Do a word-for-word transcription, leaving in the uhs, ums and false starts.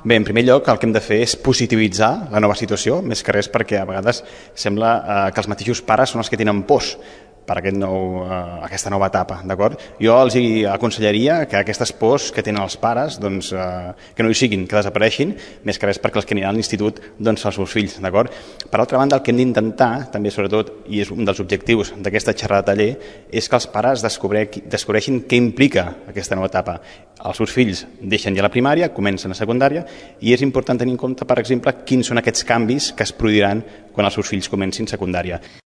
Bé, en primer lloc, el que hem de fer és positivitzar la nova situació, més que res perquè a vegades sembla eh, que els mateixos pares són els que tenen pors per aquest nou, eh, aquesta nova etapa, d'acord? Jo els hi aconsellaria que aquestes pors que tenen els pares, doncs, eh, que no hi siguin, que desapareixin, més que res perquè els que aniran a l'institut doncs, són els seus fills, d'acord? Per altra banda, el que hem d'intentar, també sobretot, i és un dels objectius d'aquesta xerrada de taller, és que els pares descobreixin què implica aquesta nova etapa. Els seus fills deixen ja la primària, comencen a secundària, i és important tenir en compte, per exemple, quins són aquests canvis que es produiran quan els seus fills comencin secundària.